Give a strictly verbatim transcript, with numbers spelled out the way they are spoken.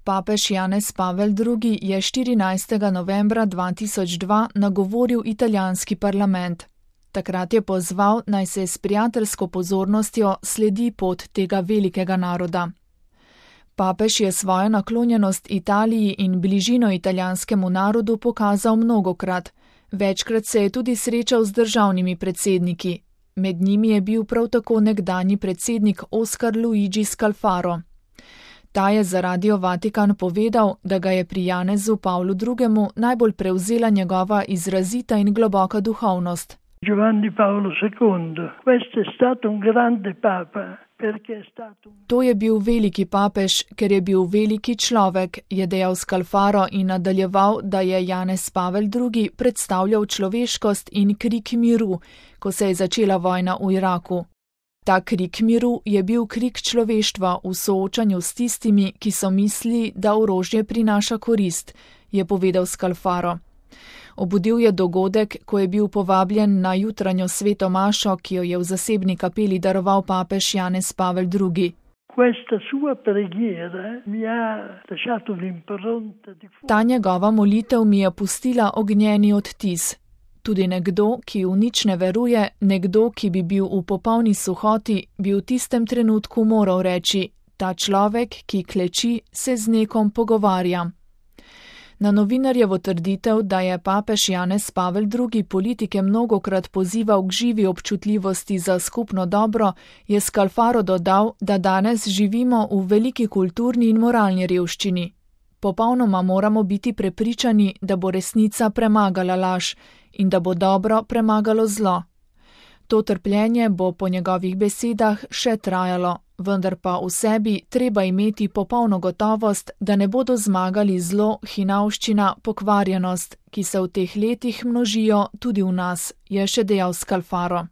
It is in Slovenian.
Papež Janez Pavel drugi je štirinajstega novembra dva tisoč dva nagovoril italijanski parlament. Takrat je pozval, naj se s prijateljsko pozornostjo sledi pot tega velikega naroda. Papež je svojo naklonjenost Italiji in bližino italijanskemu narodu pokazal mnogokrat. Večkrat se je tudi srečal z državnimi predsedniki. Med njimi je bil prav tako nekdanji predsednik Oscar Luigi Scalfaro. Ta je za Radio Vatikan povedal, da ga je pri Janezu Pavlu drugemu najbolj prevzela njegova izrazita in globoka duhovnost. Giovanni Paolo secondo, questo è stato un grande papa, perché è stato... To je bil veliki papež, ker je bil veliki človek, je dejal Scalfaro in nadaljeval, da je Janez Pavel drugi predstavljal človeškost in krik miru, ko se je začela vojna v Iraku. Ta krik miru je bil krik človeštva v soočanju s tistimi, ki so mislili, da orožje prinaša korist, je povedal Scalfaro. Obudil je dogodek, ko je bil povabljen na jutranjo sveto mašo, ki jo je v zasebni kapeli daroval papež Janez Pavel drugi. Ta njegova molitev mi je pustila ognjeni odtis. Tudi nekdo, ki v nič ne veruje, nekdo, ki bi bil v popolni suhoti, bi v tistem trenutku moral reči: ta človek, ki kleči, se z nekom pogovarja. Na novinarjevo trditev, da je papež Janez Pavel drugi politike mnogokrat pozival k živi občutljivosti za skupno dobro, je Scalfaro dodal, da danes živimo v veliki kulturni in moralni revščini. Popolnoma moramo biti prepričani, da bo resnica premagala laž in da bo dobro premagalo zlo. To trpljenje bo po njegovih besedah še trajalo, vendar pa v sebi treba imeti popolno gotovost, da ne bodo zmagali zlo, hinavščina, pokvarjenost, ki se v teh letih množijo tudi v nas, je še dejal Scalfaro.